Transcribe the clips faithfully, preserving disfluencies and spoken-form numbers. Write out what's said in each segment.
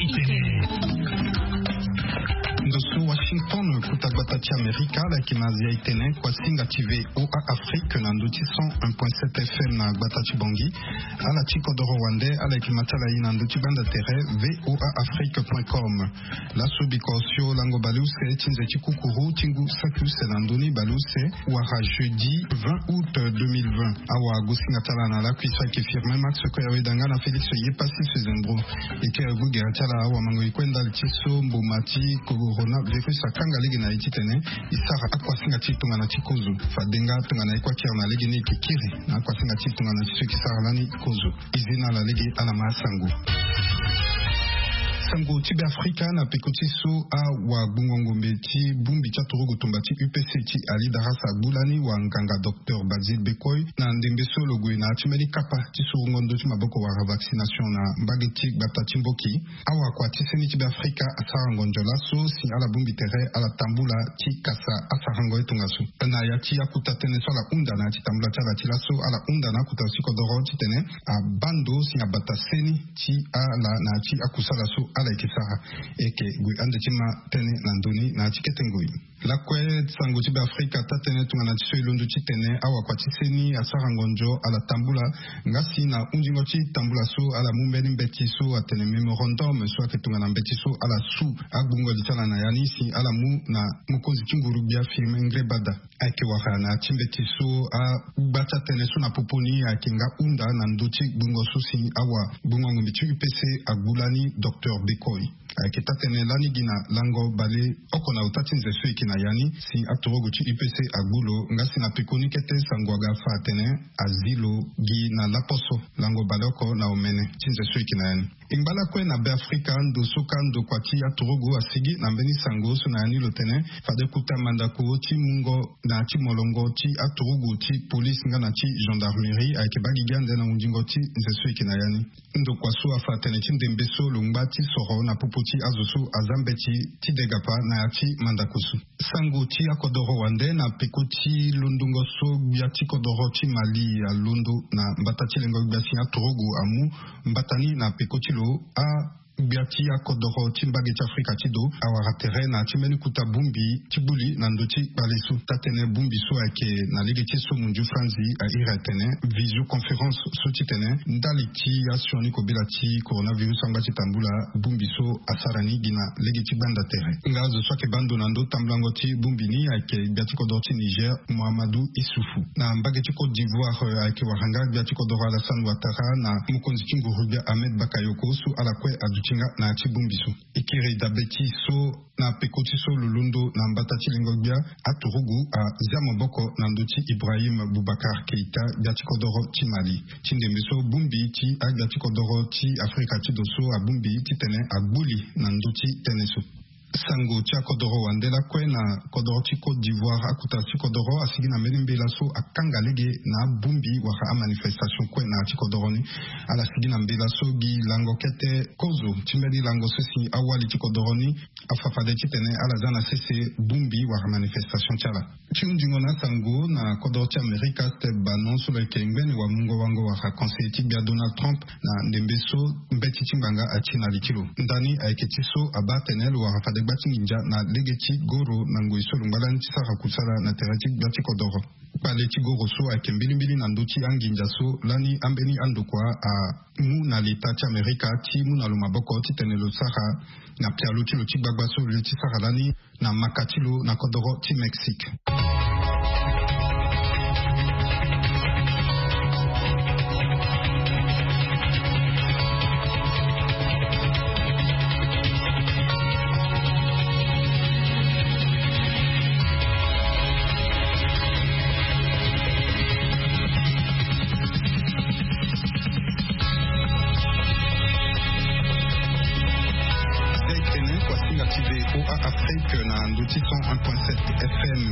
Ndo so Washington, kota gbata ti Amerika, ala yeke na Asia, e tene kuasinga ti VOA Afrique na ndo ti cent un point sept F M na gbata ti Bangui. Ala ti kodoro wande, ala yeke ma ti ala ye na ndo ti gbanda tere VOA Afrique point com. Laso bikosio lango baleuse ti nze ti kukuru ti ngu saki use na ndoni baleuse wara jeudi vingt août deux mille vingt. Awa gosinga ti ala na lakui so ayeke Firmin Max Koyawe Danga na Félix Yepassi Sezembro. E kiri gu gere ti ala awamango e kue ndali ti so mboma ti coronavirus akanga lege na e titene e sara akuasinga ti tongana ti kozo. Fade nga tongana e kue akiri na lege ni e yeke kiri na akuasinga ti tongana ti so e yeke sara lani kozo. E zi na ala lege ala ma asango. Sango ti Beafrika na peko ti so awagbungo ngombe ti bongbi ti aturugu tumba ti U P C ti Ali Darasa agbu lani wanganga docteur Basile Bekoi na ndembe so lo gue na ya ti mbeni kapa ti surungo ndö ti maboko wala vaccination na mbage ti gbata ti Mboki. Awakua ti seni ti Beafrika asara ngonzo laso si ala bongbi tere ala tambula ti kasa asarango ye tongaso. Na ya ti akuta tënë so ala hunda na ya ti tambula ti ala ti laso, ala hunda na akuta ti kodoro titene abaa ndo si abata seni ti ala na ya ti akusala so ala yeke sara. E yeke gue ande ti ma tënë na ndö ni na ya ti kete ngoi. Lakue sango ti Beafrika taa-tënë tongana ti so e londo titene awakua ti seni asara ngonzo ala tambula. Nga si na hunzingo ti tambula so ala mu mbeni mbeti so atene mémorandum so ayeke tongana mbeti so ala su agbungo li ti ala na ya ni si ala mu na mokonzi ti nguru-gbia Firmin Ngrébada. Ayeke wara na ya ti mbeti so agba ti atënë so na popo ni ayeke nga hunda na ndö ti gbungo so si awagbungo ngombe ti U P C agbu lani docteur Bekoi. Ayeke taa-tënë lani gi na lango baleoko na ota ti nze so e yeke na ya ni si aturugu ti U P C agbu lo. Nga si na peko ni kete sango aga fa atene azi lo gi na laposo lango baleoko na omene ti nze so e yeke na ya ni. E ngba lakue na Beafrika ndo so ka ndokua ti aturugu asigi na mbeni sango so na ya ni lo tene fade kota mandako ti mungo na ya ti molongo ti aturugu ti polise nga na ti gendarmerie ayeke baa gigi ande na hunzingo ti nze so e yeke na ya ni. Ndokua so afa atene ti ndembe so lo ngba ti soro na popo ti azo so aza mbeti ti degapa na ya ti mandako so. Sango ti akodoro wande na peko ti londongo so gbia ti kodoro ti Mali alondo na mbata ti lengo gbia si aturugu amu mbata ni na peko ti lo a gbia ti akodoro ti mbage ti Afrika ti do awara tere na ya ti mbeni kota bongbi ti gbu li na ndö ti kpale so. Taa-tënë bongbi so ayeke na lege ti so munzu franzi a iri atene visioconférence so titene ndali ti asioni kobela ti coronavirus angba ti tambula bongbi so asara ni gi na lege ti gbanda tere. Nga azo so ayeke baa ndo na ndö tambulango ti bongbi ni ayeke gbia ti kodoro ti Niger Mohamedou Issoufou. Na mbage ti Côte d'Ivoire, eh, ayeke wara nga gbia ti kodoro Alassane Ouattara na mokonzi ti nguru-gbia Ahmed Bakayoko so ala kue aduti nga na ya ti bongbi so. E kiri dabe ti so na peko ti so lo londo na mbata ti lengo gbia, aturugu azia maboko na ndö ti Ibrahim Boubacar Keita, gbia ti kodoro ti Mali. Ti ndembe so bongbi ti agbia ti kodoro ti Afrika ti do so abongbi titene agbu li na ndö ti tënë so. Sango ti akodoro wande lakue na kodoro ti Côte d'Ivoire, akota ti kodoro asigi na mbeni mbela so akanga lege na abongbi wala amanifestation kue na ya ti kodoro ni. Ala sigi na mbela so gi lango kete kozo ti mbeni lango so si awali ti kodoro ni afa fade titene ala za na sese bongbi wala manifestation ti ala. Ti hunzingo na asango na kodoro ti Amerika, Steve Bannon so lo yeke ngbene wamungo-wango wala conseiller ti gbia Donald Trump na ndembe so mbeti ti ngbanga ati na li ti lo. Ndani ayeke ti so abaa atene lo wara fade gba ti nginza na lege ti goro na ngoi so lo ngba lani ti sara kusala na tere ti gbia ti kodoro. Kpale ti goro so ayeke mbilimbili na ndö ti anginza so lani ambeni andokua amu na leta ti Amerika ti mu na lo maboko titene lo sara na pialo ti lo ti gbagba so lo ye ti sara lani na maka ti lo na kodoro ti Mexique. Tene kuasinga Ti V O A Afrique na ndö ti cent un point sept F M.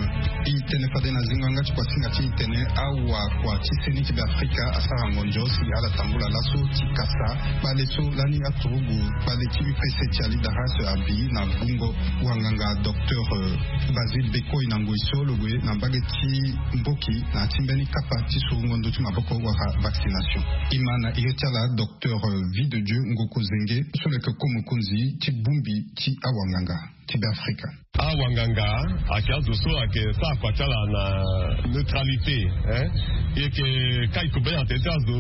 E tene fade na zingo yanga ti kua singa ti e tene awa kua ti seni ti Be Afrika asara ngonzo si ala tambula laso ti kasa kpale so lani aturugu kpale ti U P C ti Ali Darras abi na gbungo wanganga docteur Basile Bekoi na ngoi so lo gue na mbage ti mboki na ti mbeni kapa ti surungo ndö ti maboko wala vaccination. E ma na iri ti ala docteur Vie de Dieu Ngoko Zenge so lo yeke ko mokonzi ti bongbi ti awanganga ti Be Afrika. Awanganga ayeke azo so ayeke sara kua ti ala na neutralité. E yeke kai kobela tene ti azo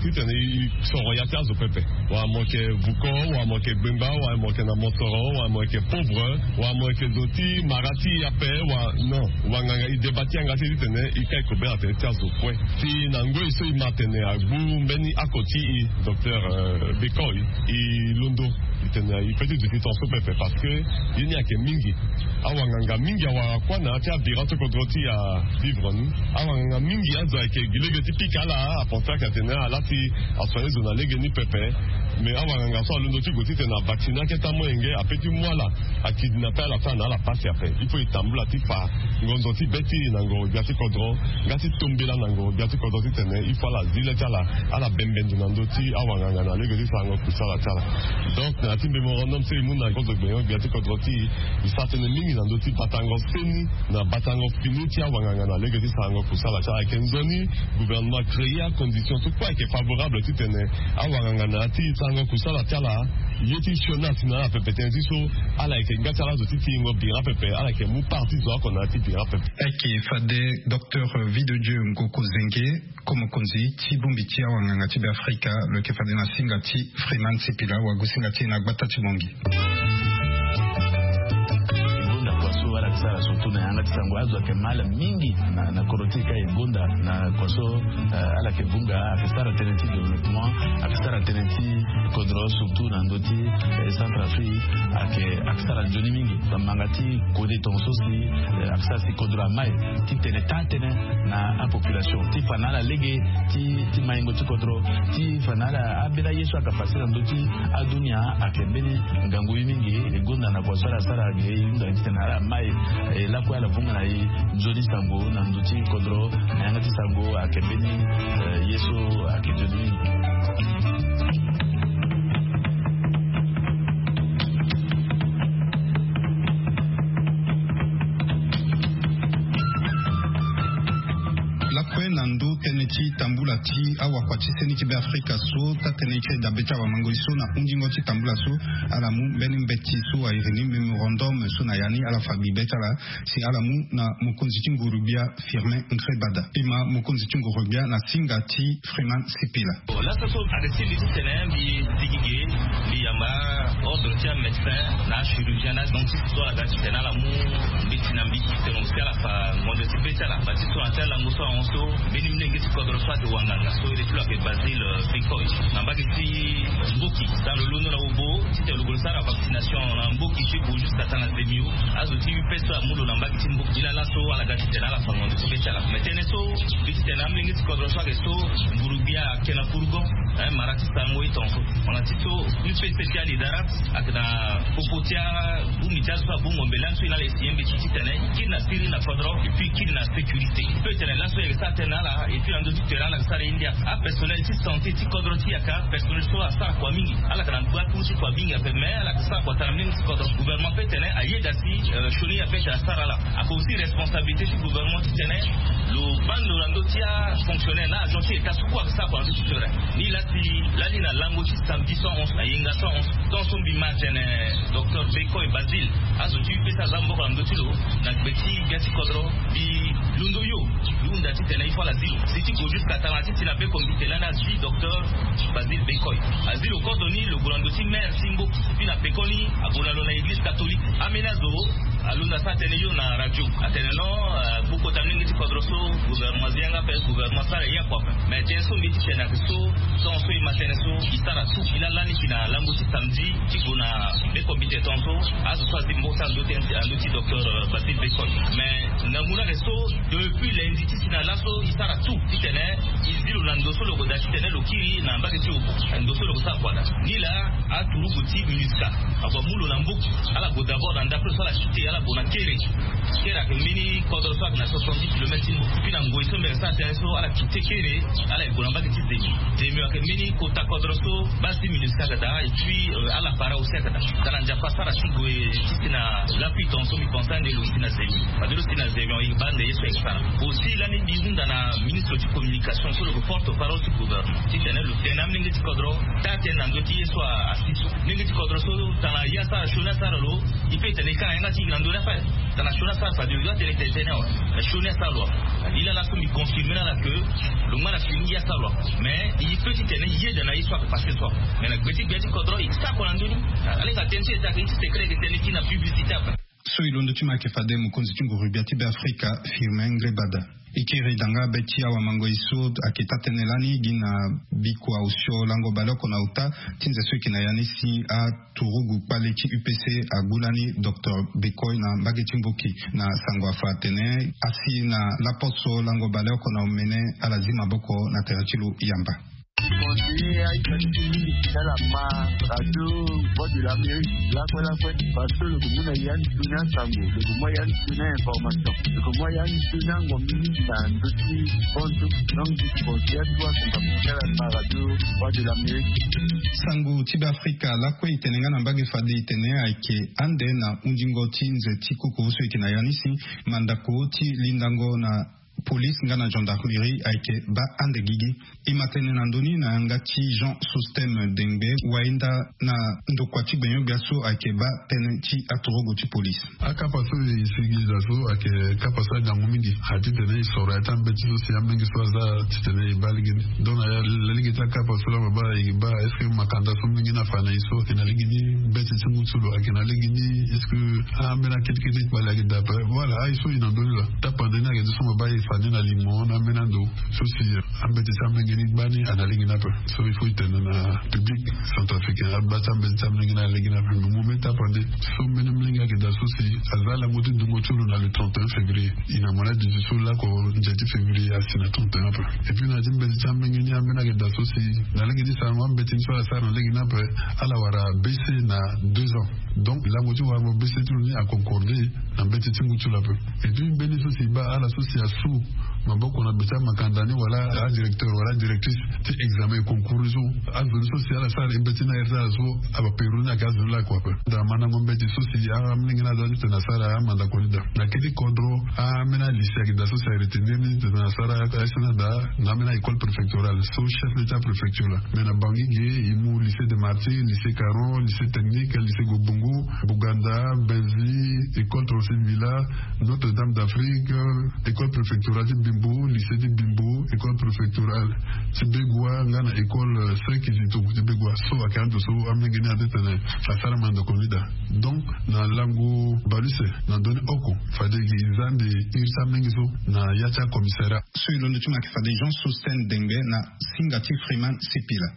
titene e soro ya ti azo pepe. Wala mo yeke vuko, wala mo yeke gbengba, wala mo yeke na mosoro, wala mo yeke pauvre, wala mo yeke zo ti mara ti e ape, wala non. Wanganga e deba ti yanga ti e titene e kai kobela tene ti azo kue. Si na ngoi so e ma tene agbu mbeni ako ti e docteur Bekoi, e londo. E tene e pe ti duti tongaso pepe parce que ye ni ayeke mingi. Awanganga mingi awara kua na ya ti abira ti kodro ti e avivre ni. Awanganga mingi azo ayeke gi lege ti pika ala, apenser ayeke atene ala ti asoigner zo na lege ni pepe. Mais awanganga so alondo ti gue titene avacciner akete amolenge ape ti mu ala, akidnappe ala so ala na ala pasi ape. Il faut e tambula ti fa ngonzo ti be ti e na ngoro gbia ti kodro nga ti tombela na ngoro gbia ti kodro titene il faut ala zi le ti ala, ala bembe ndo na ndö ti awanganga na lege ti sarango kusala ti ala. Donc na ya ti mémorandum so e mu na kozo gbenyo gbia ti kodro ti e, e sara tënë mingi na ndö ti batango seni na batango fini ti awanganga na lege ti sarango kusala ti ala. Ayeke nzoni gouvernement créer acondition so kue ayeke favorable titene awanganga na ya ti sarango kusala ti ala ye ti sioni asi na ala pepe tënë ti so ala yeke nga ti ala azo ti tingo bira pepe, ala yeke mu part ti zo oko na ya ti bira pepe. Ayeke fade docteur Vie de Dieu Ngoko Zenge, ko mokonzi ti bongbi ti awanganga ti Be Afrika, lo yeke fade na singa ti Freeman Sipila, wagu singa ti e na gbata ti Bongi. E gonda kua so ala yeke sara surtout na yanga ti sango, azo ayeke mal mingi na, na kodro ti e ka e gonda na kua so, eh, ala yeke vunga, ayeke sara tënë ti développement, ayeke sara tënë ti kodro surtout na ndö ti, eh, Centrafrique, ayeke, ayeke sara nzoni mingi. Bamanga ti kode tongaso si, eh, ayeke sara si kodro amai ti tene taa tënë na apopulation ti fa na ala lege ti, ti maingo ti kodro, ti fa na ala ambeni aye so ayeke pase na ndö ti adunia. Ayeke mbeni ngangu ye mingi. E gonda na kua so ala sara ge, e hunda titene ala mai, e lakue ala vunga na e nzoni sango na ndö ti kodro na yanga ti sango. Ayeke mbeni, eh, ye so ayeke nzoni mingi. Lakue na ndö tënë ti tambula ti awakua ti seni ti Be Afrika so taa tënë ti dabe ti awamangoi so na hundingo ti tambula so, ala mu mbeni mbeti so airi ni mémorandum so na ya ni ala fa bibe ti ala si ala mu na mokonzi ti nguru-gbia Firmin Nkrébada. E ma mokonzi ti nguru-gbia na singa ti Freeman Sipila. Bon, laso so ayeke ti mbi titene mbi digi ge, mbi yamba ordre ti amédecin na achirurgien na donc ti so ala ga titene ala mu mbeti na mbi titene aussi ala fa ngonzo ti be ti ala. Bâ ti so na ya ti alango so ahon so mbeni molenge ti kodro so ayeke wanganga so iri ti lo ayeke Basile, euh, Bekoi, na mbage ti Mboki, da lo londo na Obo titene lo gue lo sara vaccination na Mboki ti Obo jusqu'à tanga na Zemio. Azo ti U P S so amu lo na mbage ti Mboki. Ni laa laso ala ga titene ala fa ngonzo ti be ti ala. Mais tënë so mbi titene amolenge ti kodro so ayeke so nguru-gbia ayeke na fourgon, eh, mara ti sarango ye tongaso. Wala ti so U P C ti Ali Darras ayeke na popo ti abongbi ti azo so abongbo mbela ni so e na ala e si ye mbeti titene e kiri na siriri na kodro et puis e kiri na sécurité. Peut tene laso e yeke sara tënë na ala et puis na ndö ti tere ala yeke sara ye ndia. Apersonnel ti santé ti kodro ti e ayeke apersonnel so asara kua mingi. Ala yeke na gba kuru ti kua mingi ape, mais ala yeke sara kua tara mingi ti kodro. Gouvernement peut tene ayeda si, euh, sioni ape tene asara ala. Ayeke aussi responsabilité ti gouvernement titene lo baa ndo na ndö ti afonctionnaire na agent ti État so kue ayeke sara kua na ndö ti terrain. Ni laa si lani na lango ti samedi so ahon so, na yenga so ahon so, tant so mbi ma atene docteur Bekoi Basile, azo ti U P S aza maboko na ndö ti lo na gbe ti gbia ti kodro. Mbi londo yo, mbi hunda titene il faut ala zi lo. Si ti gue jusqu'à tanga ti ti na be comité lani azui docteur Basile Bekoi. Azi lo kodro ni, lo gue na ndo ti maire ti Mboki. Puis na pekoni ague na lo na église catholique. Ambeni azo alondo asara tënë yo na radio. Atene non, euh, gbu kota mingi ti kodro so gouvernement azi yanga ape, gouvernement asara ye akua ape. Mais tënë so mbi ti tene ayeke so, so so e ma tënë so e sara tout. E laa lani si na lango ti samedi ti gue na be Comité tonso azo so azi mboka ando ti docteur Basile Bekol. Mais na ngu na re so, depuis lundi ti si na laso e sara tout titene e zi lo na ndo so lo gue daa titene lo kiri na mbage ti obo. Ndo so lo gue sara kua daa ni laa. Aturugu ti MINUSCA ague amu lo na mbuku. Ala gue d'abord na ndapre so ala site ala gue na kere. Kere ayeke mbeni kodro so ayeke na soixante-dix kilomètres ti mbuku. Puis na ngoi so mbere sara tënë so ala kite kere, ala yeke gue na mbage ti zemi. Zemi ayeke mbeni kota kodro so base ti MINUSCA aga daa. Et puis ala para aussi aga daa. Tala nzapa asara ti gue ti si na lapui tonso mbi pense ande lo si na zemi. Fade lo si na zemi e baa nde ye so ayeke sara. Aussi lani mbi hunda na ministre ti communication so lo yeke porte parole ti gouvernement titene lo tene amolenge ti kodro taa tënë na ndö ti ye so asi so. Molenge ti kodro so tana ye asara sioni asara lo. E pe e tene e ka na yanga ti e na ndö ni afa. Tana sioni asara fade lo doit tene e tene tënë awe. Na sioni asara lo afa. Ni laa laso mbi confirme na ala ke lo ngba na fini ye asara lo afa. Mais e pe ti tene e yeda na ye so ayeke passe so afa. Mais na gbe ti gbe ti kodro e sara kua na ndö ni. Ala yeke tene ti e tene ayeke ti secret e yeke tene ti na publicité ape. So e londo ti ma ayeke fade mokonzi ti nguru gbia ti Beafrika Firmin Ngrébada. E kiri danga be ti awamangoi so ayeke taa-tënë lani gi na bikua osio lango baleoko na ota ti nze so e yeke na ya ni si aturugu kpale ti U P C agu lani docteur Bekoi na mbage ti Mboki na sango afa atene asi na laposo lango baleoko na omene ala zi maboko na tere ti lo yamba. Conseiller aye fade ti mingi ti ala ma radio Voix de l'Amérique lakue lakue. Parce que lo ke mu na ya ni sioni asango, lo ke mu ya ni sioni ainformation, lo ke mu ya ni sioni angombi mingi na ndö ti konzo. Donc ti conseiller atu asango amu ti ala ma radio Voix de l'Amérique. Sango ti Beafrika lakue e tene nga na mbage fade e tene ayeke ande na hundingo ti nze ti koko so e yeke na ya ni si mandako ti lindango na police nga na gendarmerie ayeke baa ande gigi. E ma tene na ndö ni na yanga ti Jean Sostème Dengbe, wayenda na ndokua ti gbenyo-gbia so ayeke baa tënë ti aturugu ti police. Akapa so e sigi da so ayeke kapa so agangu mingi. Atitene e soro ya ti ambeti so si amolenge so aza titene e baa lege ni. Donc na ya lege ti akapa so laa ma baa e baa est-ce que makanda so molenge ni afa na e so ayeke na lege ni? Mbeti ti ngu ti lo ayeke na lege ni? Est-ce que ambeni akete kete ti kpale ayeke daa ape? Voilà, aye so e na ndö ni laa. Tapande ni ayeke nde so ma baa e fa ni na limo na ambeni ando so si ambeti ti amolenge ni gbani ana lege ni ape. So il faut e tene na public centrafricain, abaa ti ambeti ti amolenge ni ana lege ni ape. Me mu me tapande so mbeni molenge ayeke daa so si aza lango ti dungo ti lo na le trente et un février. E na mo na dix-huit so lako nze ti février asi na trente et un ape. Et puis na ya ti mbeti ti amolenge ni ambeni ayeke daa so si na lege ti sarango ambeti ni so ala sara na lege ni ape, ala wara baisse na deux ans. Donc lango ti warango baisse ti lo ni aconcorde na mbeti ti ngu ti lo ape. Et puis mbeni so si e baa ala so si asu maboko na be ti amakanda ni wala adirecteur wala adirectrice ti examen concours so, azo ni so si ala sara mbeti ni na aire ti ala so, abapero ni ayeke azo ni lakue ape. Daa mandango mbeti so si amolenge ni aza titene asara amandako ni daa. Na kete kodro ambeni alycée ayeke daa so si aretenir ni titene asara aye so ni adaa na ambeni a-école préfectorale so chef-lieu ti apréfecture laa. Mais na Bangui ge e mu lycée des Martyrs, lycée Caron, lycée technique, lycée Gobongo, Bouganda, Benzi, école trente-six Villa, Notre-Dame d'Afrique, école préfectorale ti Bimbo, lycée ti Bimbo, école préfectorale ti Begoua nga na école Saint Kizito ti Begoua. So ayeke ando so amolenge ni aza titene asara mandako ni daa. Donc na lango bale use na ndö ni oko fade gi za ande iri ti amolenge so na ya ti acommissariat. So e londo ti ma ayeke fade Jean Sostène Dengbe na singa ti Freeman Sipila.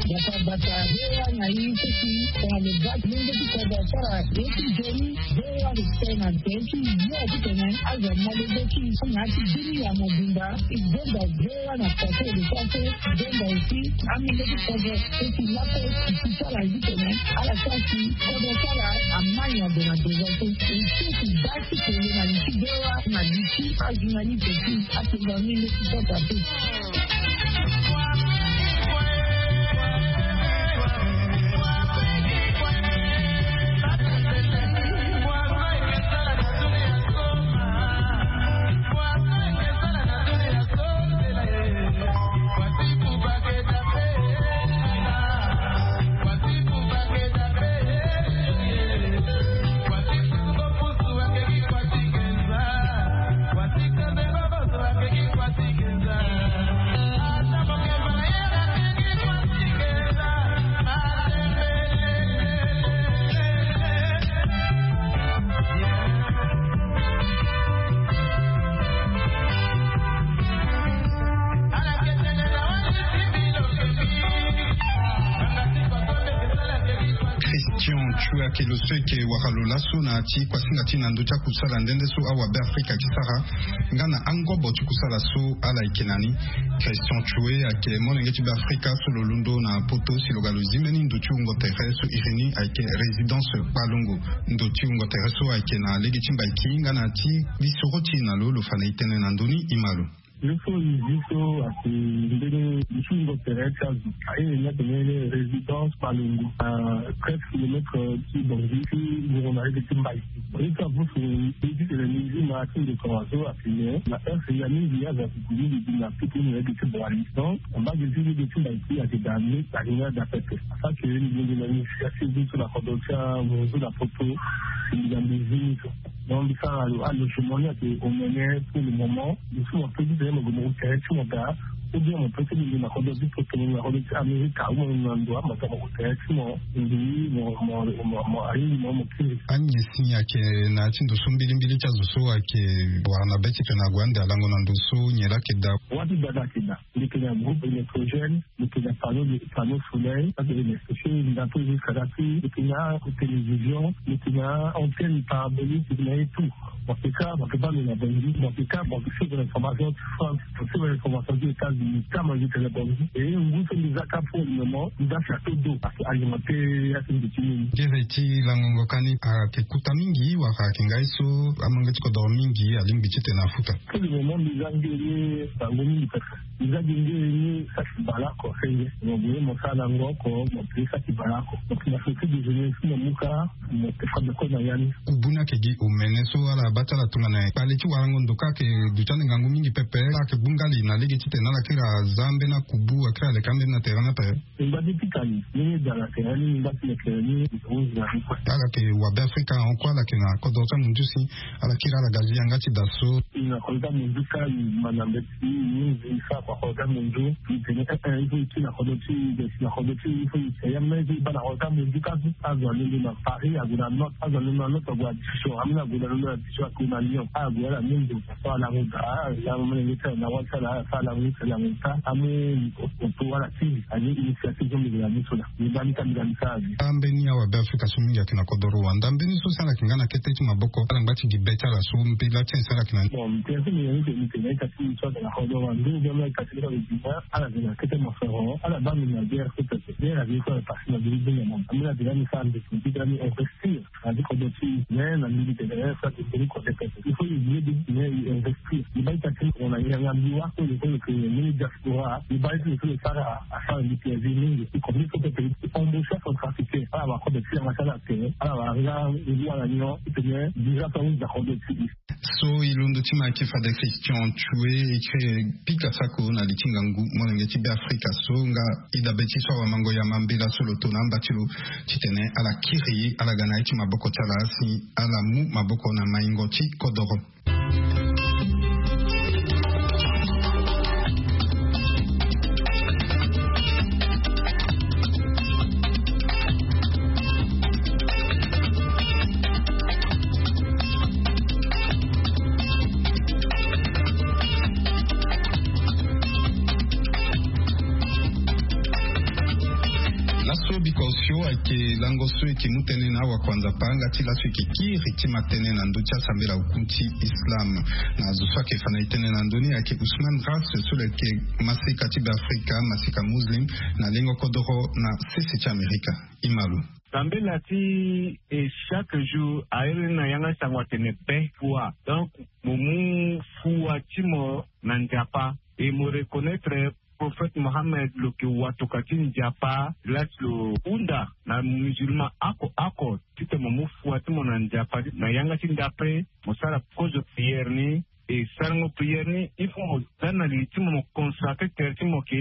Bata bata, V O A na ye ti si tongana lo baa ti lenge ti kodro asara ye ti nzoni, V O A ayeke sara na tere ti yo titene azo amolenge ti so na ya ti bini ya mobimba. E gonda V O A na poto lo sara so, e gonda aussi amolenge ti kodro so si lakue e si sara titene ala sara si kodro ti ala ama nyon gue na devant so. E si e si baa ti kele na li ti V O A na li ti ajournaliste ti atonga amolenge ti kodro ape. Tue ake lo so eke wara lo laso na ti kuasinga ti na ndö ti akusala nde nde so awabe afrika eke sara nga na angobo ti kusala so ala eke na ni. Christian Tue ake molenge ti be afrika so lo londo na poto si lo ga lo zi mbeni ndo ti wungo tere so iri ni ayeke résidence kpalongo. Ndo ti wungo tere so ayeke na lege ti mbaiki nga na ti lisoro ti e na lo lo fa na e tënë na ndö ni. Ima lo. Yo so e zi so ake mbeni nsungo tere ti azo. Aye ni atene résidence kpalongo na treize kilomètre ti bongi ti nguru na lege ti mbai. Ye so apusu ye ti tene ni zi na ti ndeko azo atene na heure ya mingi azo ake gue mingi na piki ni na lege ti boali. Donc mbage ti lege ti mbai ti ake daa ni alinga daa pepe. Asake ni lege na ni si asi zi so na kodro ti amunzu na poto. Mbi na mbi zi ni so. Donc mbi sara alogement ni ake omene pour le moment. Mbi so mo pe ti tene mo gue mo tere ti mo daa. Ou bien mo pe ti lege na kodro ti poto na kodro ti amerika ou mo na ndo ama ta mo tere ti mo. Mbi mo mo mo ayi mo mo kiri. Anyen si ni ake na ya ti ndo so mbilimbili ti azo so ake wara na be ti tene ague ande alango na ndo so nyen laa ake daa? Wâ ti daa daa ake daa. Mbi yeke na groupe électrogène. Mbi yeke na panneau de panneau soleil. Ake ene espèce ndapo jusqu'à la pluie. Mbi yeke na télévision. Mbi yeke na antenne parabolique. Mbi yeke na ye tout. Mo yeke ka mo yeke baa lo na bongi. Mo yeke ka mo yeke suivre information ti France. Mo suivre information ti États-Unis. Ka mo yeke tene bongi. E ngu so mbi za ka pour le moment mbi za château d'eau ake alimenté. Ake mbi ti nini? Gere ti langongo ka ni ayeke kuta mingi wala ayeke ngai so amolenge ti kodoro mingi alingbi ti tene afuta? Pour le moment mbi za ngere bango mingi pepe. Mbi za gi ngere ni saki baleoko senge mo gue mo sara na ngo oko. Mo pe saki baleoko donc na société de jeunesse mo mu ka. Mo te fa beko na ya ni. Kubu ni ayeke gi omene so ala baa ti ala tongana kpale ti warango ndo ka ayeke duti ande ngangu mingi pepe. Ala yeke gbu ngali na lege titene ala kiri aza ambeni akubu akiri aleka ambeni na tere ni ape. Mingba ti pika ni ni ni daa na tere ni mingba ti lekere ni. Ala yeke wabe afrika hon kue ala yeke na kodro ti amunzu si ala kiri ala ga zi yanga ti daa so. Na kodro ti amunzu ka i ma na mbeti i ni zi i sara kua kodro ti amunzu. I tene eh eh i faut i kiri na kodro ti i. Besi na kodro ti i il faut i tene ya même i baa na kodro ti amunzu ka so. Azo alondo na paris ague na note azo alondo na note ague na dijon ameni ague na londo na dijon ague na lyon ague ala mundo. Ala mu daa ala mu mene nge ti ala na wali ti ala ala fa ala mu ti ala mu ta amu. Oto ala ti ali initiative so mbi yeke na ni so na mbi baa ni ka mbi ga mbi sara avi. Ambeni awabe afrika so mingi ayeke na kodoro wanda mbeni so si ala yeke nga na kete ti maboko ala ngba ti gi be ti ala so mbela ti en si ala yeke na ni. Bon mbi tene so mbi yeke ni tene mbi tene ita ti mbi so ayeke na kodoro wanda ou bien mbi ita ti mbi so ayeke na ala yeke na kete mosoro ala baa mbi na guerre so pepe guerre ayeke so ala pasi na mbi ni bini ya mama ambeni ala tene mbi sara mbi ti mbi tene mbi investir. Na ti kodro ti i me na mbi ti tene sa ti mbeni kodro pepe il faut i vie di me i investir i baa ita ti mo na yanga mbi wâ so le so lo ke mbeni diaspora i baa ita lo so lo sara asara mbi ti avi mingi i kodro so pepe i embauche centrafricain ala wakodro ti yanga ti ala tene ala wara nga ngu ala nyon ti tene déjà so ahunda kodro ti i. So i londo ti ma ayeke fade christian tue i kiri pika sako na li ti ngangu molenge ti be afrika so nga i dabe ti so awamango ya mambela so lo to na amba ti lo titene ala kiri ala ga na ye ti maboko ti ala si ala mu maboko na maingo ti kodoro. Laso biko osio ayeke lango so eke mu tënë na awakuanza panga ti laso eke kiri ti ma tënë na ndö ti asambela oku ti islam. Na zo so ayeke fa na e tënë na ndö ni ayeke usman ras so lo yeke maseka ti be afrika maseka muslim na lengo kodoro na sese ti amerika. Ima lo. Sambela ti e chaque jour airi na yanga sango atene be fua donc mo mu fua ti mo na nzapa e mo reconnaître prophète mohammed lo ke watoka ti nzapa lati lo hunda na musulman ako ako tite mo mu fua ti mo na nzapa na yanga ti ndapre mo sara kozo prière ni. E sarango prière ni il faut mo za na li ti mo mo consacre tere ti mo ke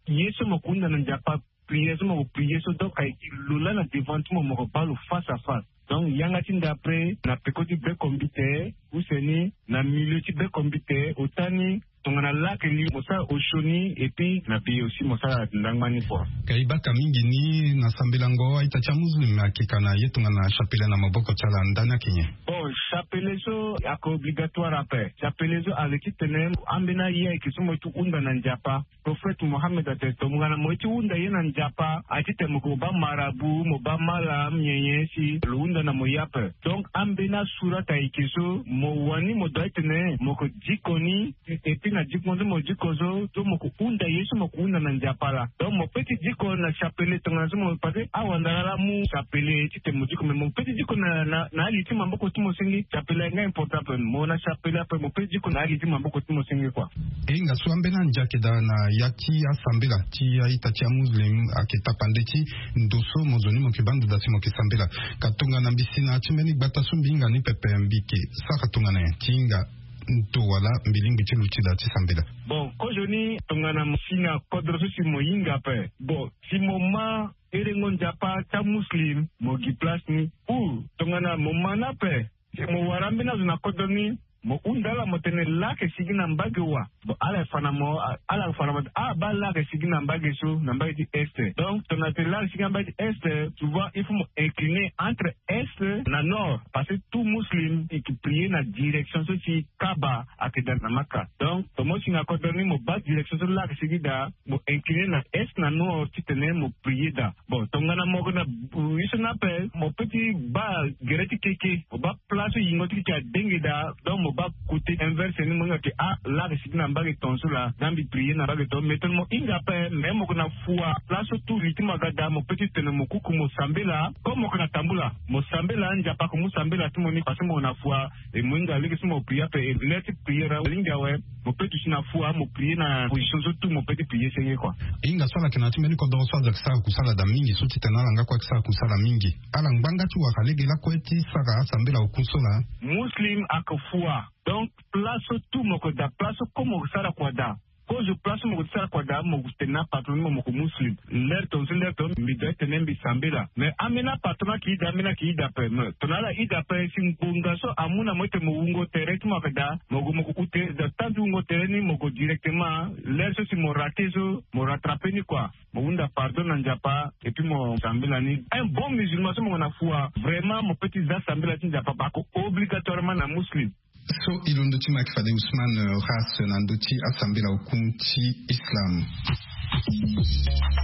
ye so mo ke hunda na nzapa prière so mo ko prière so donc ayeke lo laa na devant ti mo mo ko baa lo face à face. Donc yanga ti ndapre na peko ti beko mbite use ni na milieu ti beko mbite ota ni tongana laa ayeke li mo sara osio ni et puis na bi aussi mo sara ndangba ni kua. Ka e baka mingi ni na sambelango a-ita ti amuslim ayeke ka na ye tongana chapele na maboko ti ala ndani ayeke nyen? Bon. Chapelet so ayeke obligatoire ape. Chapelet so ayeke titene ambeni aye ayeke so mo ye ti hunda na Nzapa. Prophète Mohammed atene tongana mo ye ti hunda ye na Nzapa aye titene mo ke mo baa marabout, mo baa malam, nyen nyen si lo hunda na mo ye ape. Donc ambeni asurat ayeke so mo wani mo doit titene mo ke diko ni. Et puis na diko so mo diko so, so mo ke hunda ye so mo ke hunda na Nzapa laa. Donc mo pe ti diko na chapelet tongana so mo, parce que awandara laa amu chapelet titene mo diko, mais mo pe ti diko na, na, na ali ti maboko ti mo senge. Chapelet ayeke nga important ape. Mo na chapelet ape, mo pe ti diko na ali ti maboko ti mo senge kua. E hinga so ambeni andi ayeke daa na ya ti asambela ti a-ita ti amuslim ayeke tapande ti ndo so mo zo ni mo ke baa ndo daa si mo ke sambela. Ka tongana mbi si na ya ti mbeni gbata so mbi hinga ni pepe, mbi ke sara tongana nyen ti hinga ndo wala mbi lingbi ti luti daa ti sambela? Bon, kozoni tongana mo si na kodro so si mo hinga ape. Bon, si mo ma herengo Nzapa ti amuslim, mo gi place ni. Ou tongana mo ma ni ape, si mo wara ambeni azo na kodro ni, mo hunda ala mo tene laa ayeke sigi na mbage wa. Bon, ala fa na mo, ala fa na mo, ah, baa laa ayeke sigi na mbage so, na mbage ti est. Donc tongana tene laa ayeke sigi na mbage ti est, souvent il faut mo incliner entre est na nord, parce que tout muslim il prier na direction so ti Kaaba ayeke daa na Maka. Donc tongana mo si na kodro ni mo baa direction so laa ayeke sigi daa, mo incliner na est na nord titene mo prier daa. Bon, tongana mo yeke na, euh, ye so ni ape, mo pe ti baa gere ti keke, mo baa place so yingo ti keke adenge daa. Donc mo baa côté inverse ni, mo hinga ke, ah, laa ayeke sigi na mbage tongaso laa, nga mbi prier na mbage tongaso. Mais tongana mo hinga ape, mais mo yeke na fua place so tout li ti mo aga daa, mo pe ti tene mo kuku mo sambela. Comme mo yeke na tambula, mo sambela, Nzapa ayeke mu sambela ti mo ni, parce que mo yeke na fua. E mo hinga lege so mo prier ape, e l'heure ti prier alingbi awe. Mo pe duti na fua, mo prier na position so tout mo pe ti prier senge kua. E hinga so ala yeke na ya ti mbeni kodro so azo ayeke sara kusala daa mingi so titene ala nga kue ayeke sara kusala mingi. Ala ngbanga ti wara lege lakue ti sara asambela oku so laa. Muslim ayeke fua. Donc place so tout mo yeke daa, place so comme mo yeke sara kua daa. Kozo place so mo yeke sara kua daa, mo yeke tene na patron ni mo, mo yeke muslim. L'heure tongaso, l'heure tongaso mbi doit tene mbi sambela. Mais ambeni apatron ayeke daa, ambeni ayeke daa ape. Mais tongana ala daa ape, si ngbonga so amu na mo titene mo wungo tere ti mo ayeke daa, mo gue mo ke ute daa, temps ti wungo tere ni mo gue directement. L'heure so si mo rater so, mo rattraper ni kua. Mo hunda pardon na Nzapa, et puis mo sambela ni. Un bon musulman so mo yeke na fua, vraiment mo pe ti za sambela ti Nzapa, bako obligatoirement na muslim. So e londo ti mo ayeke fade Ousmane, euh, Ras na ndö ti asambela oku ti Islam.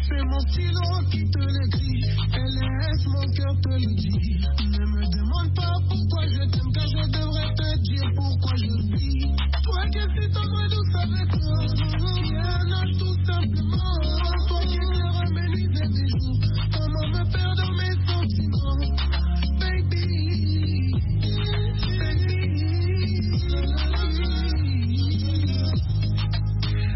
C'est mon stylo qui te le dit, L S, mon cœur te le dit. Ne me demande pas pourquoi je t'aime, car je devrais te dire pourquoi je vis. Toi qui es si tendre et douce avec toi, rien n'a tout simplement. Toi qui éclaires mes nuits et mes jours, comment me perdre mes sentiments, baby.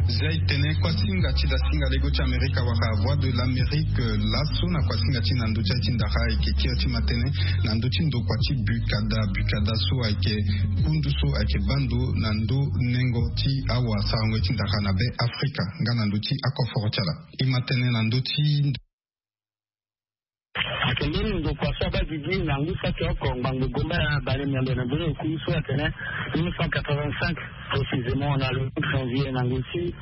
Zia e tene kuasinga ti dasinga lego ti Amerika wala Voix de l'Amérique, laso na kuasinga ti na ndö ti aye ti ndara ayeke kiri ti matene na ndö ti ndokua ti Bukada. Bukada so ayeke kundu so ayeke baa ndo na ndö nengo ti awasarango ti ndara na be Afrika nga na ndö ti akoforo ti ala. E matene na ndö ti Ayeke mbeni ndokua so abaa gigi na ngu saki oko ngbangbo gomba ya bale miambe na ndoni oku so atene mille neuf cent quatre-vingt-cinq, précisément na le cinq janvier na ngu ti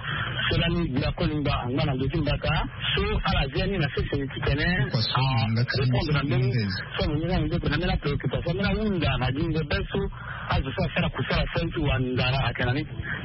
so lani gbia kolingba angba na ndö ti mbata so ala zia ni na sese titene arépondre na mbeni so amongi na ndeko na mbeni apréoccupation mbeni ahunda na gingo be so azo so asara kusala so aye ti wa ndara ayeke na ni.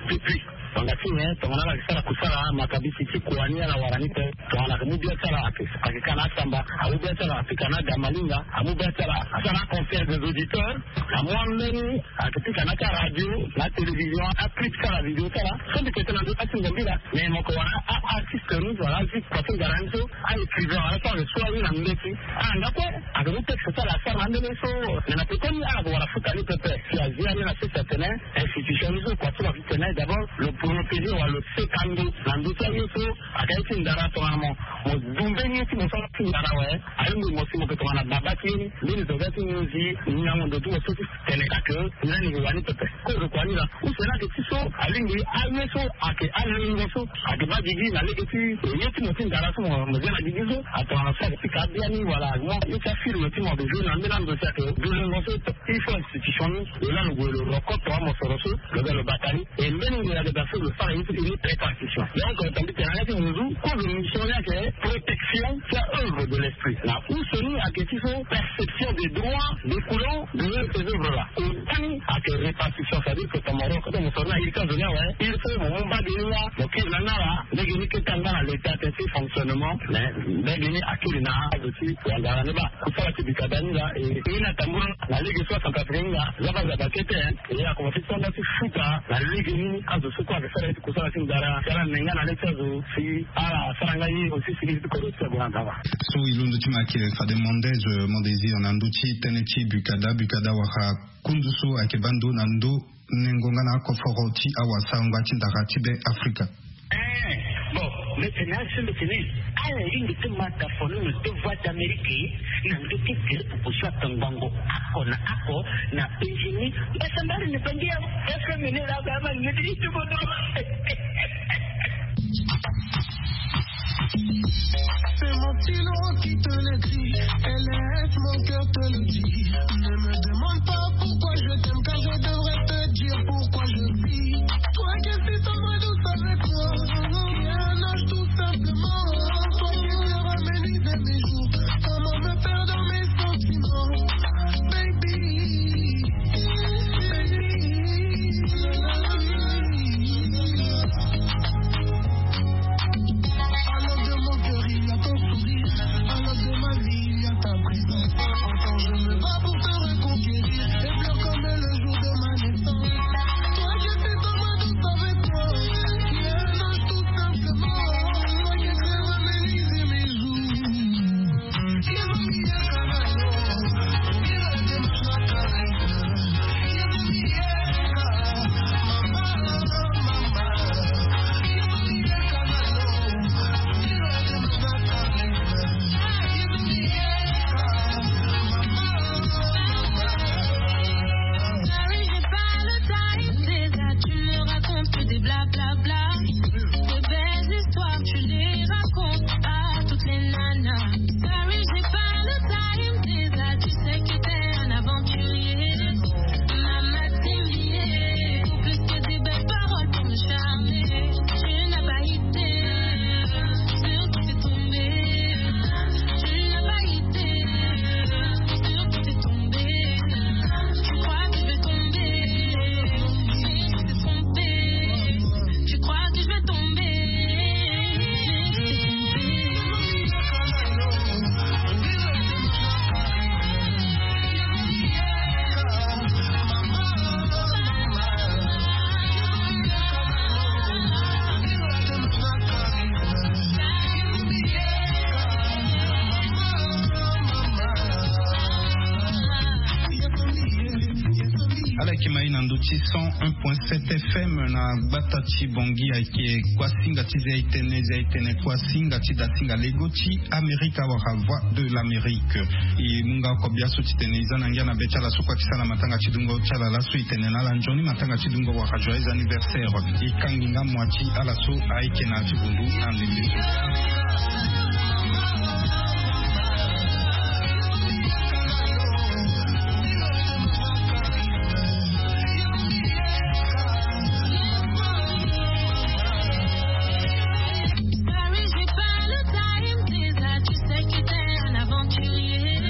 Depuis Tongana ti nyen? Tongana ala yeke sara kusala, makabisi ti kua ni ala wara ni pe. Tongana ayeke mu bia ti ala ayeke, ayeke ka na asamba, amu bia ti ala apika na damalinga, amu bia ti ala asara na conseil des auditeurs, amu ambeni ayeke pika na ti aradio, na télévision, aclip ti ala, vidéo ti ala. So mbi yeke tene na ndö ti atingo mbila, mais mo yeke wara a-artiste ni wala azi kua ti ngara ni so, a-écrivain wala so ayeke so aye na ndö ti ala nga kue. Ayeke mu texte ti ala asara na ambeni so, mais na peko ni ala yeke wara futa ni pepe. Si azi ani na sese atene, institution ni so kua ti lo ayeke tene d'abord lo protéger wala lo seka ndo na ndö ti aye so ayeke aye ti ndara tongana mo, mo du mbeni ye ti mo so ti ndara awe. Alingbi mo si mo yeke tongana baba ti ye ni, mbeni zo ga ti nginzi, nginango ndo ti mo so ti tene ka ke, ni lani yeke wani pepe. Kozo kua ni laa, use ni ayeke ti so, alingbi aye so ayeke alengo so ayeke baa gigi na lege ti ye ti mo ti ndara so mo, mo zia na gigi so, atongana so ayeke pika abia ni wala mo ye ti afilme ti mo ayeke joue na mbeni ando si ayeke du lengo so. Il faut institution ni lo laa lo gue lo roko tonga mosoro so lo ga lo bata ni. E mbeni ngbonga ayeke daa so lo sara ye so e ni répartition. Donc tongana mbi tene na ya ti nginzu kozo mission ni ayeke protection ti a. œuvre de l'esprit na uso ni ayeke ti so perception des droits découlant de ces œuvres là. Otani ayeke répartition, c'est-à-dire que tamaro kote mo soro na iri ti azo ni awe, iri so mo mu mbage ni laa mo kiri na ni ala. Lege ni kete angba na l'état ti fonctionnement mais lege ni akiri na azo ti wangara ni baa kusala ti bikada ni laa. E ni atambula na lege so acentrafricain ni laa zaba zaba kete. E akomanse ti sara nga ti futa na lege ni azo so kue ayeke sara ye ti kusala ti ngara ti ala nenga na le ti azo si ala sara nga ye aussi si lege ti kodro ti ague na ndava. So e londo ti ma ayeke fade Mondes, euh, Mondésir na ndö ti tënë ti bukada bukada wala kundu so ayeke baa ndo na ndö nengo nga na akoforo ti awasango ti ndara ti be Afrika. Eh, bon, mbeti ni asi mbeti ni ala lingbi ti ma tafono na deux voix d'Amérique na ndö ti gere pupu so atongbango ako na ako na penzi ni. Mbasa mbari ni penzi ya F M ni la ba ma ni ti ti bodo. C'est mon stylo qui te l'écrit et laisse mon cœur te le dire. Ne me demande pas pourquoi je t'aime, car je devrais te dire pourquoi je vis. Toi qui es si tendre et douce avec moi, qui a un âge tout simplement. Toi qui éclaires mes nuits et mes jours, comment me perdre dans mes sentiments, baby. Alors de mon cœur il y a ton sourire, alors de ma vie il y a ta présence. Encore je me bats pour te reconquérir et pleure comme le jour de ma naissance. Toi qui fais ton ma douce avec moi, qui est un ange tout simplement. Toi qui éclaires mes nuits et mes jours. Sorry, j'ai pas le time, déjà tu me racontes que des blablabla. De belles histoires, tu les racontes à toutes les nanas. Sorry, j'ai pas le time, déjà tu sais que t'es un aventurier. Mama, t'es lié, plus que des belles paroles pour me charmer. Tu n'as pas idée, sur qui t'es tombé. Tu n'as pas idée, sur qui t'es tombé. Tu crois que je vais tomber, mais tu t'es trompé. Tu crois que je vais tomber, mais tu t'es trompé. Ala yeke ma e na ndö ti cent un point sept F M na gbata ti Bangui. Ayeke kuasinga ti Zia-e-tene, Zia-e-tene, kuasinga ti dasinga lego ti Amerika wala Voix de l'Amérique. E mu nga oko bia so titene e za na ngia na be ti ala so kue ayeke sara na matanga ti dungo ti ala laso. E tene na ala nzoni matanga ti dungo wala joyeux anniversaire. E kangi nga mua ti ala so ayeke na ya ti gundu na ndembe so. Sorry, j'ai pas le time, déjà tu sais que t'es un aventurier.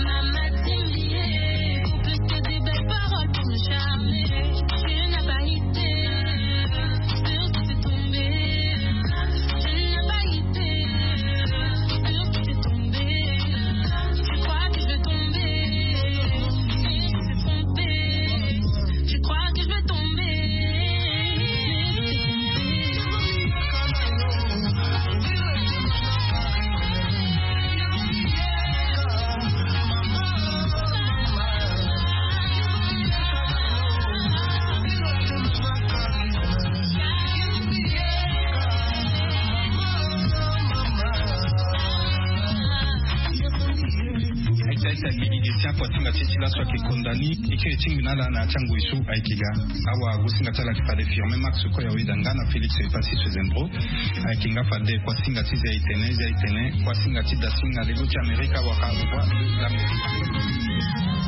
Mama, t'es lié, plus que des belles paroles pour me charmer. Tu n'as pas idée, sur qui t'es tombé. Tu n'as pas idée, sur qui t'es tombé. Tu crois que je vais tomber, mais tu t'es trompé. Tu crois que je vais tomber, mais tu t'es trompé. Aita aita gigi gesi akuasinga ti e ti laso ayeke konda ni. E kiri e tingbi na ala na ya ti angoi so ayeke ga. Awa agosinga ti ala ayeke fade Firmin Max, kue ayeda nga na Félix Epassis Sezembro. Ayeke nga fade kuasinga ti Zia-e-tene, Zia-e-tene, kuasinga ti dasinga lego ti Amerika wala Voix de l'Amérique.